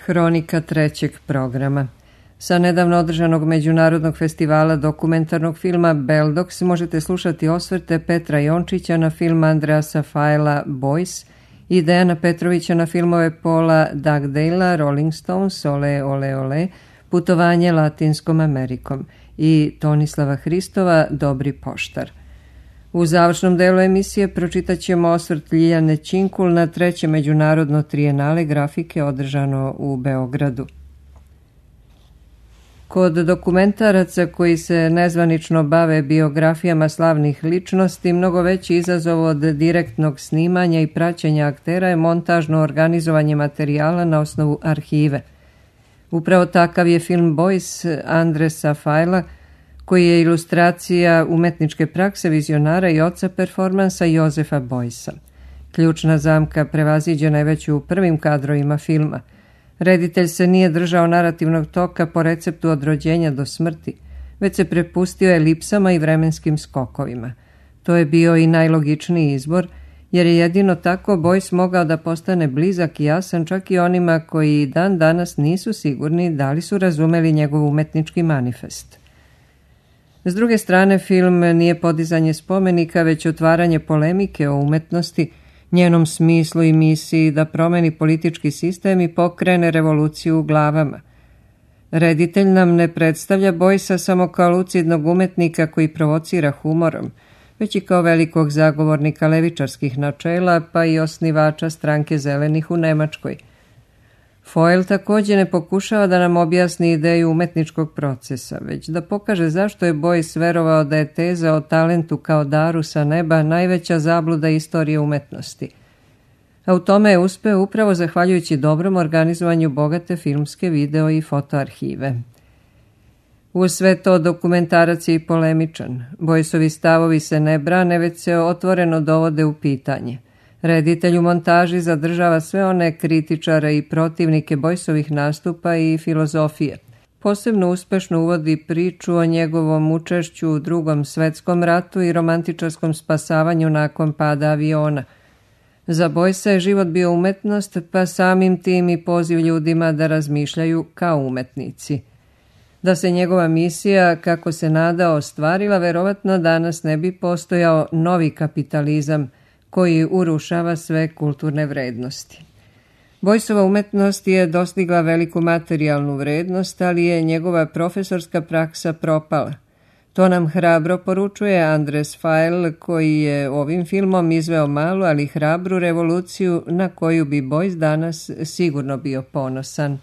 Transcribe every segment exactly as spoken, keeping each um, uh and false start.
Hronika trećeg programa. Sa nedavno održanog Međunarodnog festivala dokumentarnog filma Beldox možete slušati osvrte Petra Jončića na film Andreasa Fajla Boys i Dejana Petrovića na filmove Paula Dugdalea Rolling Stones, Ole, ole, ole, Putovanje Latinskom Amerikom i Tonislava Hristova Dobri poštar. U završnom delu emisije pročitat ćemo osvrt Ljiljane Činkul na treće međunarodno trijenale grafike održano u Beogradu. Kod dokumentaraca koji se nezvanično bave biografijama slavnih ličnosti, mnogo veći izazov od direktnog snimanja i praćenja aktera je montažno organizovanje materijala na osnovu arhive. Upravo takav je film Boys Andreasa Fajla, koji je ilustracija umetničke prakse vizionara i oca performansa Jozefa Boysa. Ključna zamka prevaziđena je već u prvim kadrovima filma. Reditelj se nije držao narativnog toka po receptu od rođenja do smrti, već se prepustio elipsama i vremenskim skokovima. To je bio i najlogičniji izbor, jer je jedino tako Boys mogao da postane blizak i jasan čak i onima koji dan danas nisu sigurni da li su razumeli njegov umetnički manifest. S druge strane, film nije podizanje spomenika, već otvaranje polemike o umetnosti, njenom smislu i misiji da promeni politički sistem i pokrene revoluciju u glavama. Reditelj nam ne predstavlja Boysa samo kao lucidnog umetnika koji provocira humorom, već i kao velikog zagovornika levičarskih načela, pa i osnivača stranke zelenih u Nemačkoj. Foyle također ne pokušava da nam objasni ideju umetničkog procesa, već da pokaže zašto je Boys verovao da je teza o talentu kao daru sa neba najveća zabluda istorije umetnosti. A u tome je uspeo upravo zahvaljujući dobrom organizovanju bogate filmske, video i fotoarhive. U sve to dokumentarac je i polemičan. Boysovi stavovi se ne brane, već se otvoreno dovode u pitanje. Reditelj u montaži zadržava sve one kritičare i protivnike Boysovih nastupa i filozofije. Posebno uspešno uvodi priču o njegovom učešću u Drugom svetskom ratu i romantičarskom spasavanju nakon pada aviona. Za Boysa je život bio umetnost, pa samim tim i poziv ljudima da razmišljaju kao umetnici. Da se njegova misija, kako se nadao, ostvarila, verovatno danas ne bi postojao novi kapitalizam koji urušava sve kulturne vrednosti. Boysova umetnost je dostigla veliku materijalnu vrednost, ali je njegova profesorska praksa propala. To nam hrabro poručuje Andreas Fajl, koji je ovim filmom izveo malu, ali hrabru revoluciju na koju bi Boys danas sigurno bio ponosan.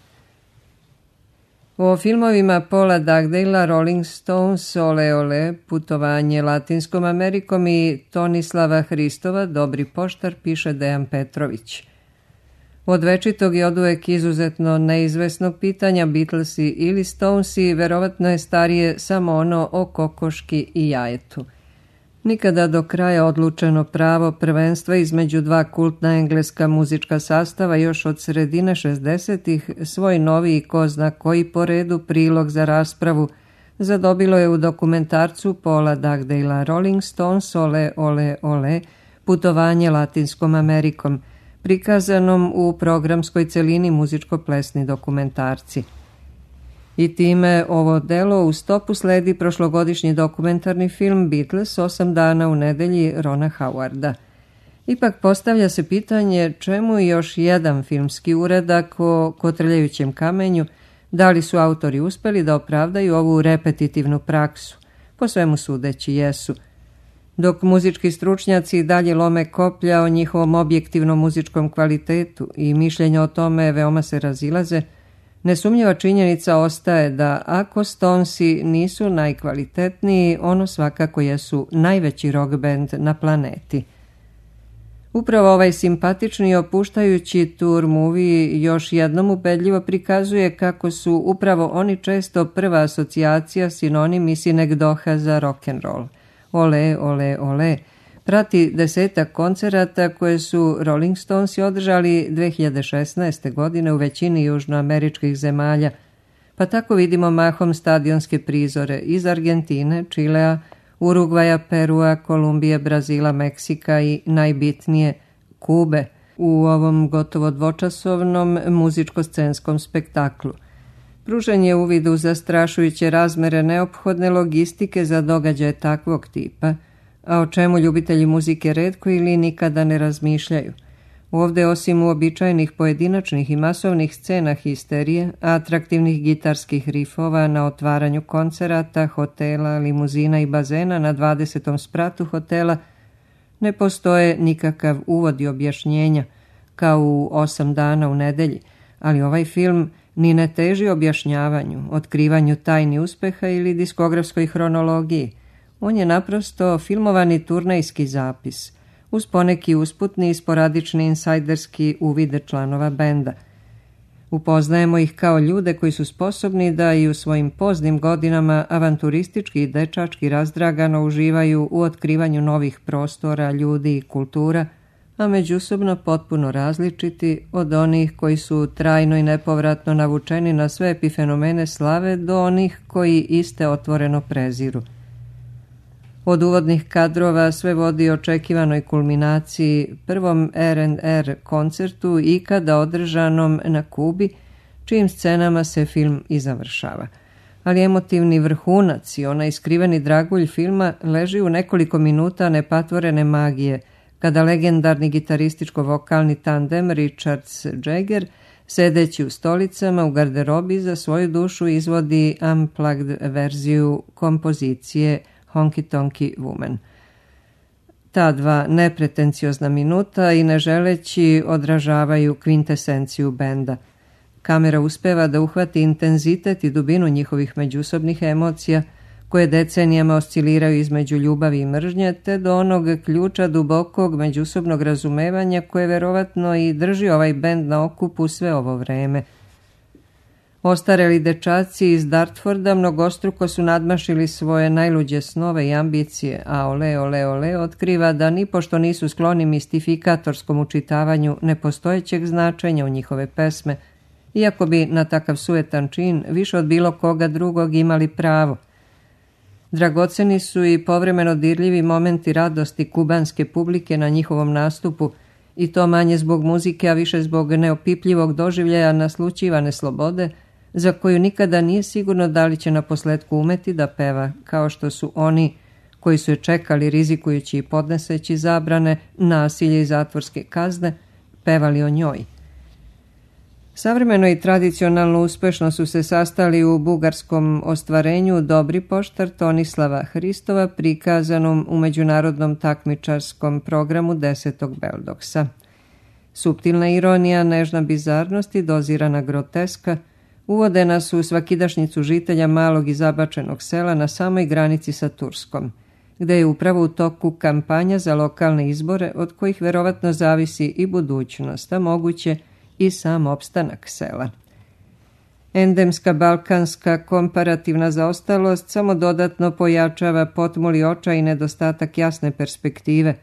O filmovima Paula Dugdalea, Rolling Stones, Ole, ole, Putovanje Latinskom Amerikom i Tonislava Hristova Dobri poštar piše Dejan Petrović. Od večitog i oduvek izuzetno neizvesnog pitanja Beatlesi ili Stonesi verovatno je starije samo ono o kokoški i jajetu. Nikada do kraja odlučeno pravo prvenstva između dva kultna engleska muzička sastava još od sredine šezdesetih svoj novi i ko zna koji po redu prilog za raspravu zadobilo je u dokumentarcu Paula Dugdalea Rolling Stones, Ole, ole, ole, Putovanje Latinskom Amerikom, prikazanom u programskoj celini muzičko-plesni dokumentarci. I time ovo delo u stopu sledi prošlogodišnji dokumentarni film Beatles osam dana u nedelji Rona Howarda. Ipak postavlja se pitanje čemu još jedan filmski uradak o kotrljajućem kamenju, da li su autori uspeli da opravdaju ovu repetitivnu praksu. Po svemu sudeći jesu. Dok muzički stručnjaci dalje lome koplja o njihovom objektivnom muzičkom kvalitetu i mišljenja o tome veoma se razilaze, nesumnjiva činjenica ostaje da ako Stonesi nisu najkvalitetniji, ono svakako jesu najveći rock band na planeti. Upravo ovaj simpatični i opuštajući tour movie još jednom ubedljivo prikazuje kako su upravo oni često prva asocijacija, sinonim i sinegdoha za rock'n'roll. Ole, ole, ole, prati desetak koncerata koje su Rolling Stonesi održali dve hiljade šesnaeste. godine u većini južnoameričkih zemalja, pa tako vidimo mahom stadionske prizore iz Argentine, Čilea, Urugvaja, Perua, Kolumbije, Brazila, Meksika i najbitnije Kube, u ovom gotovo dvočasovnom muzičko-scenskom spektaklu. Pružen je uvid u zastrašujuće razmere neophodne logistike za događaje takvog tipa, a o čemu ljubitelji muzike retko ili nikada ne razmišljaju. Ovde, osim uobičajenih pojedinačnih i masovnih scena histerije, atraktivnih gitarskih rifova na otvaranju koncerata, hotela, limuzina i bazena na dvadesetom spratu hotela, ne postoje nikakav uvod i objašnjenja, kao u osam dana u nedelji, ali ovaj film ni ne teži objašnjavanju, otkrivanju tajni uspeha ili diskografskoj hronologiji. On je naprosto filmovani turnejski zapis, uz poneki usputni i sporadični insajderski uvide članova benda. Upoznajemo ih kao ljude koji su sposobni da i u svojim poznim godinama avanturistički i dečački razdragano uživaju u otkrivanju novih prostora, ljudi i kultura, a međusobno potpuno različiti od onih koji su trajno i nepovratno navučeni na sve epifenomene slave do onih koji iste otvoreno preziru. Od uvodnih kadrova sve vodi očekivanoj kulminaciji, prvom er end er koncertu ikada održanom na Kubi, čijim scenama se film i završava. Ali emotivni vrhunac i onaj skriveni dragulj filma leži u nekoliko minuta nepatvorene magije, kada legendarni gitarističko-vokalni tandem Richards-Jagger, sedeći u stolicama u garderobi, za svoju dušu izvodi unplugged verziju kompozicije Honky Tonky Woman. Ta dva nepretenciozna minuta i ne želeći odražavaju kvintesenciju benda. Kamera uspeva da uhvati intenzitet i dubinu njihovih međusobnih emocija, koje decenijama osciliraju između ljubavi i mržnje, te do onog ključa dubokog međusobnog razumevanja koje verovatno i drži ovaj bend na okupu sve ovo vreme. Ostareli dečaci iz Dartforda mnogostruko su nadmašili svoje najluđe snove i ambicije, a Ole, Ole, Ole otkriva da nipošto nisu skloni mistifikatorskom učitavanju nepostojećeg značenja u njihove pesme, iako bi na takav sujetan čin više od bilo koga drugog imali pravo. Dragoceni su i povremeno dirljivi momenti radosti kubanske publike na njihovom nastupu, i to manje zbog muzike, a više zbog neopipljivog doživljaja naslućivane slobode, za koju nikada nije sigurno da li će na posletku umeti da peva, kao što su oni koji su je čekali rizikujući i podneseći zabrane, nasilje i zatvorske kazne, pevali o njoj. Savremeno i tradicionalno uspešno su se sastali u bugarskom ostvarenju Dobri poštar Tonislava Hristova, prikazanom u međunarodnom takmičarskom programu desetog Beldoksa. Suptilna ironija, nežna bizarnost i dozirana groteska uvode nas u svakidašnjicu žitelja malog i zabačenog sela na samoj granici sa Turskom, gde je upravo u toku kampanja za lokalne izbore od kojih verovatno zavisi i budućnost, a moguće i sam opstanak sela. Endemska balkanska komparativna zaostalost samo dodatno pojačava potmuli očaj i nedostatak jasne perspektive,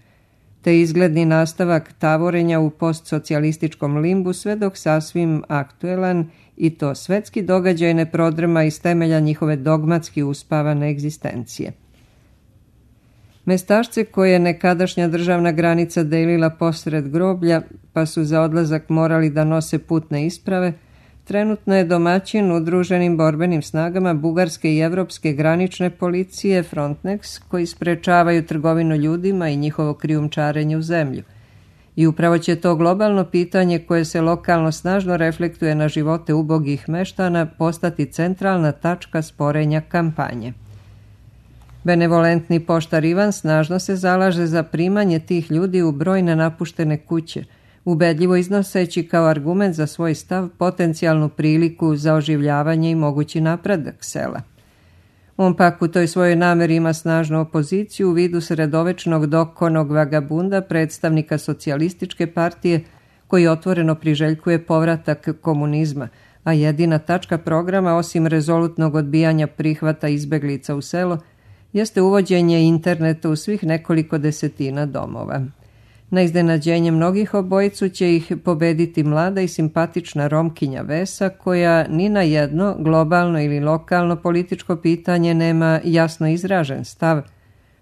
te izgledni nastavak tavorenja u postsocijalističkom limbu, sve dok sasvim aktuelan i to svetski događaj ne prodrma iz temelja njihove dogmatski uspavane egzistencije. Mestašce koje je nekadašnja državna granica delila posred groblja, pa su za odlazak morali da nose putne isprave, trenutno je domaćin udruženim borbenim snagama bugarske i evropske granične policije Frontex, koji sprečavaju trgovinu ljudima i njihovo krijumčarenje u zemlju. I upravo će to globalno pitanje, koje se lokalno snažno reflektuje na živote ubogih meštana, postati centralna tačka sporenja kampanje. Benevolentni poštar Ivan snažno se zalaže za primanje tih ljudi u brojne napuštene kuće, ubedljivo iznoseći kao argument za svoj stav potencijalnu priliku za oživljavanje i mogući napredak sela. On pak u toj svojoj nameri ima snažnu opoziciju u vidu sredovečnog dokonog vagabunda, predstavnika socijalističke partije, koji otvoreno priželjkuje povratak komunizma, a jedina tačka programa, osim rezolutnog odbijanja prihvata izbeglica u selo, jeste uvođenje interneta u svih nekoliko desetina domova. Na iznenađenje mnogih obojicu će ih pobediti mlada i simpatična Romkinja Vesa, koja ni na jedno globalno ili lokalno političko pitanje nema jasno izražen stav,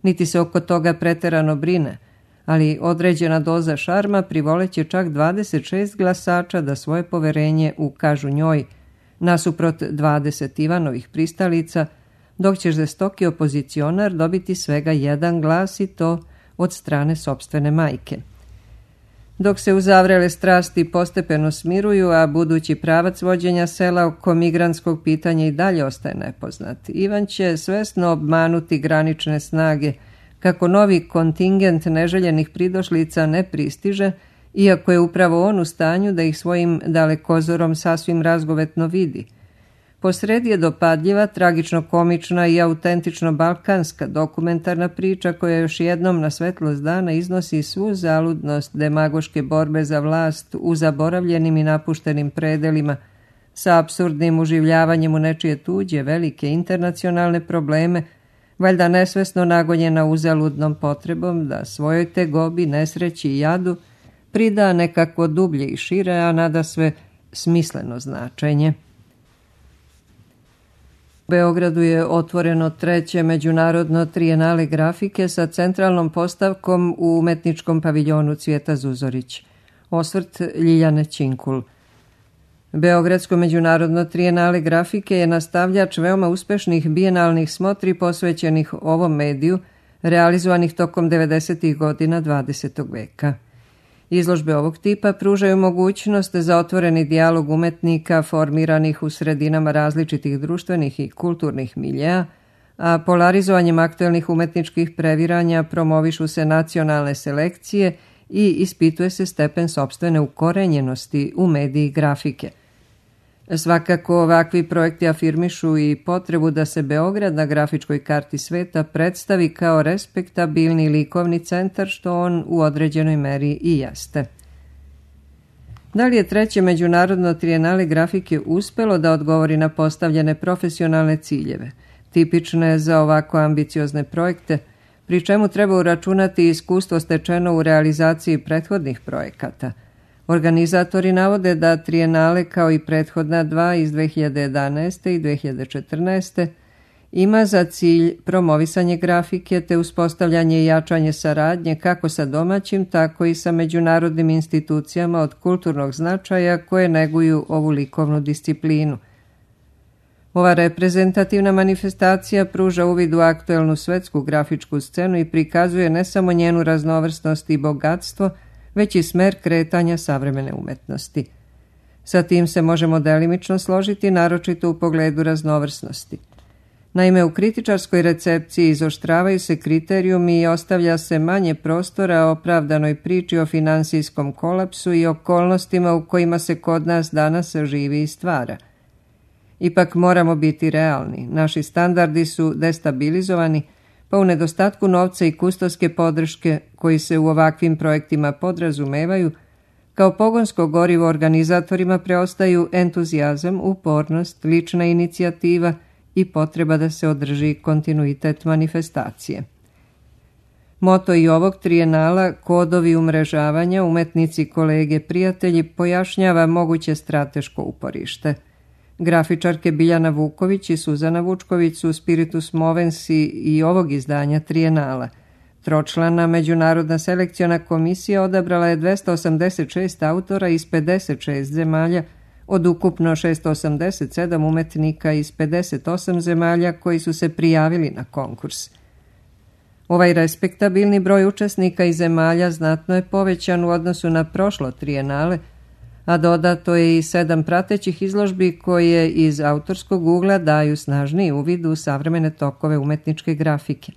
niti se oko toga preterano brine, ali određena doza šarma privoleće čak dvadeset šest glasača da svoje poverenje ukažu njoj, nasuprot dvadeset Ivanovih pristalica, dok će žestoki opozicionar dobiti svega jedan glas i to od strane sopstvene majke. Dok se uzavrele strasti postepeno smiruju, a budući pravac vođenja sela oko migrantskog pitanja i dalje ostaje nepoznat, Ivan će svesno obmanuti granične snage kako novi kontingent neželjenih pridošlica ne pristiže, iako je upravo on u stanju da ih svojim dalekozorom sasvim razgovetno vidi. Posredi je dopadljiva, tragično-komična i autentično balkanska dokumentarna priča koja još jednom na svetlost dana iznosi svu zaludnost demagoške borbe za vlast u zaboravljenim i napuštenim predelima, sa apsurdnim uživljavanjem u nečije tuđe velike internacionalne probleme, valjda nesvesno nagonjena uzaludnom potrebom da svojoj tegobi, nesreći i jadu prida nekakvo dublje i šire, a nadasve smisleno značenje. U Beogradu je otvoreno treće međunarodno trijenale grafike sa centralnom postavkom u umetničkom paviljonu Cvijeta Zuzorić. Osvrt Ljiljane Činkul. Beogradsko međunarodno trijenale grafike je nastavljač veoma uspešnih bijenalnih smotri posvećenih ovom mediju, realizovanih tokom devedesetih godina dvadesetog veka. Izložbe ovog tipa pružaju mogućnost za otvoreni dijalog umetnika formiranih u sredinama različitih društvenih i kulturnih miljeja, a polarizovanjem aktuelnih umetničkih previranja promovišu se nacionalne selekcije i ispituje se stepen sopstvene ukorenjenosti u mediji grafike. Svakako ovakvi projekti afirmišu i potrebu da se Beograd na grafičkoj karti sveta predstavi kao respektabilni likovni centar, što on u određenoj meri i jeste. Da li je treće međunarodno trijenale grafike uspelo da odgovori na postavljene profesionalne ciljeve, tipične za ovako ambiciozne projekte, pri čemu treba uračunati iskustvo stečeno u realizaciji prethodnih projekata? Organizatori navode da trijenale, kao i prethodna dva iz dve hiljade jedanaeste i dve hiljade četrnaeste, ima za cilj promovisanje grafike te uspostavljanje i jačanje saradnje kako sa domaćim, tako i sa međunarodnim institucijama od kulturnog značaja koje neguju ovu likovnu disciplinu. Ova reprezentativna manifestacija pruža uvid u aktuelnu svetsku grafičku scenu i prikazuje ne samo njenu raznovrsnost i bogatstvo, već i smer kretanja savremene umetnosti. Sa tim se možemo delimično složiti, naročito u pogledu raznovrsnosti. Naime, u kritičarskoj recepciji izoštravaju se kriterijumi i ostavlja se manje prostora opravdanoj priči o finansijskom kolapsu i okolnostima u kojima se kod nas danas živi i stvara. Ipak moramo biti realni. Naši standardi su destabilizovani, pa u nedostatku novca i kustovske podrške koji se u ovakvim projektima podrazumevaju, kao pogonsko gorivo organizatorima preostaju entuzijazam, upornost, lična inicijativa i potreba da se održi kontinuitet manifestacije. Moto i ovog trijenala, kodovi umrežavanja, umetnici, kolege, prijatelji, pojašnjava moguće strateško uporište. Grafičarke Biljana Vuković i Suzana Vučković su spiritus movensi i ovog izdanja trijenala. Tročlana međunarodna selekciona komisija odabrala je dvesta osamdeset šest autora iz pedeset šest zemalja, od ukupno šesto osamdeset sedam umetnika iz pedeset osam zemalja koji su se prijavili na konkurs. Ovaj respektabilni broj učesnika iz zemalja znatno je povećan u odnosu na prošlo trijenale, a dodato je i sedam pratećih izložbi koje iz autorskog ugla daju snažniji uvid u savremene tokove umetničke grafike.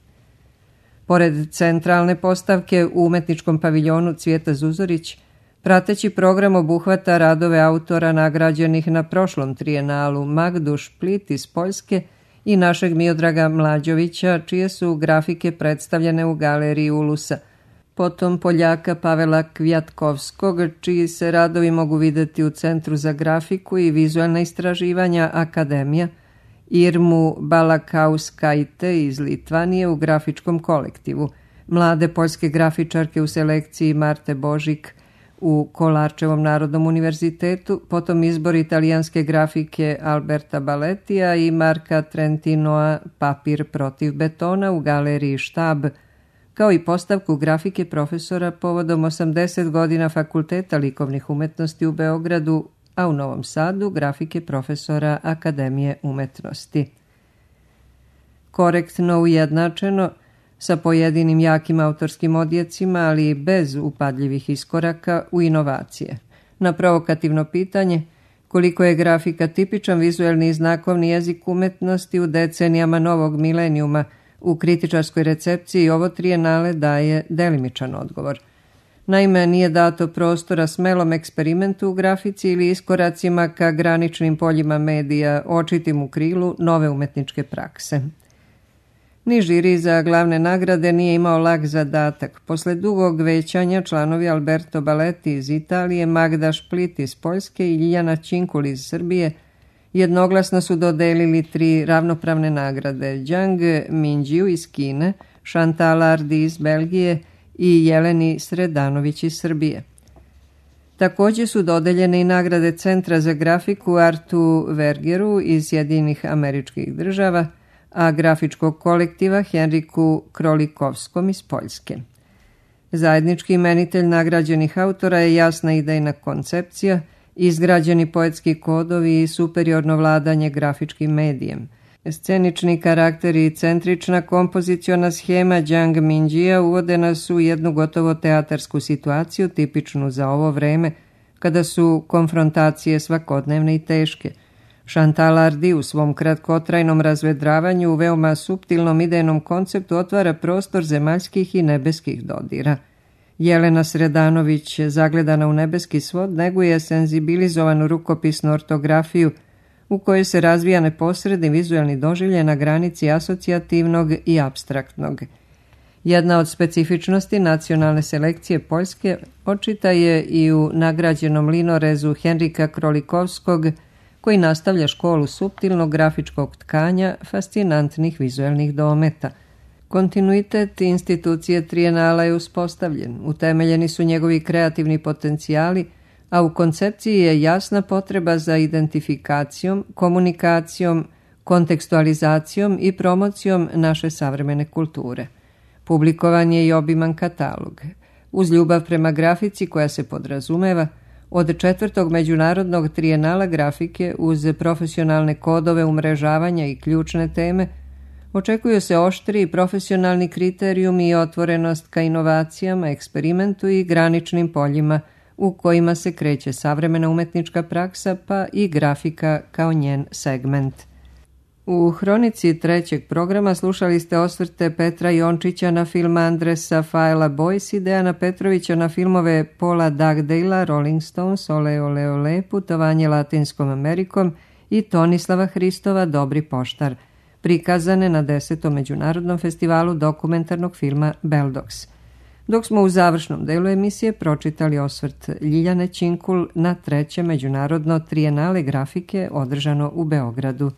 Pored centralne postavke u umetničkom paviljonu Cvijeta Zuzorić, prateći program obuhvata radove autora nagrađenih na prošlom trijenalu Magdu Šplit iz Poljske i našeg Miodraga Mlađovića, čije su grafike predstavljene u galeriji Ulusa, potom Poljaka Pavela Kvjatkovskog, čiji se radovi mogu videti u Centru za grafiku i vizualna istraživanja Akademija, Irmu Balakauskajte iz Litvanije u grafičkom kolektivu, mlade poljske grafičarke u selekciji Marte Božik u Kolarčevom Narodnom univerzitetu, potom izbor italijanske grafike Alberta Baletija i Marka Trentinoa Papir protiv betona u galeriji Štab, kao i postavku grafike profesora povodom osamdeset godina Fakulteta likovnih umetnosti u Beogradu, a u Novom Sadu grafike profesora Akademije umetnosti. Korektno ujednačeno, sa pojedinim jakim autorskim odjecima, ali bez upadljivih iskoraka u inovacije. Na provokativno pitanje koliko je grafika tipičan vizuelni i znakovni jezik umetnosti u decenijama novog milenijuma, u kritičarskoj recepciji ovo trijenale daje delimičan odgovor. Naime, nije dato prostora smelom eksperimentu u grafici ili iskoracima ka graničnim poljima medija, očitim u krilu nove umetničke prakse. Ni žiri za glavne nagrade nije imao lak zadatak. Posle dugog većanja članovi Alberto Baletti iz Italije, Magda Split iz Poljske i Ljiljana Činkul iz Srbije jednoglasno su dodelili tri ravnopravne nagrade: Zhang Minjiu iz Kine, Chantal Hardy iz Belgije i Jeleni Sredanović iz Srbije. Također su dodeljene i nagrade Centra za grafiku Artu Vergeru iz Sjedinjenih Američkih Država, a grafičkog kolektiva Henriku Krolikovskom iz Poljske. Zajednički imenitelj nagrađenih autora je jasna idejna koncepcija, izgrađeni poetski kodovi i superiorno vladanje grafičkim medijem. Scenični karakteri i centrična kompoziciona schema Zhang Minjia uvode nas u jednu gotovo teatarsku situaciju tipičnu za ovo vreme, kada su konfrontacije svakodnevne i teške. Chantal Hardy u svom kratkotrajnom razvedravanju u veoma suptilnom idejnom konceptu otvara prostor zemaljskih i nebeskih dodira. Jelena Sredanović, zagledana u nebeski svod, neguje senzibilizovanu rukopisnu ortografiju u kojoj se razvija neposredni vizuelni doživljaj na granici asocijativnog i apstraktnog. Jedna od specifičnosti nacionalne selekcije Poljske očita je i u nagrađenom linorezu Henrika Krolikovskog, koji nastavlja školu suptilnog grafičkog tkanja fascinantnih vizuelnih dometa. Kontinuitet institucije trijenala je uspostavljen, utemeljeni su njegovi kreativni potencijali, a u koncepciji je jasna potreba za identifikacijom, komunikacijom, kontekstualizacijom i promocijom naše savremene kulture. Publikovan je i obiman katalog. Uz ljubav prema grafici koja se podrazumeva, od četvrtog međunarodnog trijenala grafike uz profesionalne kodove umrežavanja i ključne teme, očekuju se oštri profesionalni kriterijumi i otvorenost ka inovacijama, eksperimentu i graničnim poljima u kojima se kreće savremena umetnička praksa, pa i grafika kao njen segment. U hronici trećeg programa slušali ste osvrte Petra Jončića na film Andresa Faela Boys i Dejana Petrovića na filmove Paula Dugdale'a Rolling Stones, Ole Ole Ole, Putovanje Latinskom Amerikom i Tonislava Hristova Dobri poštar, prikazane na desetom međunarodnom festivalu dokumentarnog filma Beldox. Dok smo u završnom delu emisije pročitali osvrt Ljiljane Činkul na treće međunarodno trijenale grafike održano u Beogradu.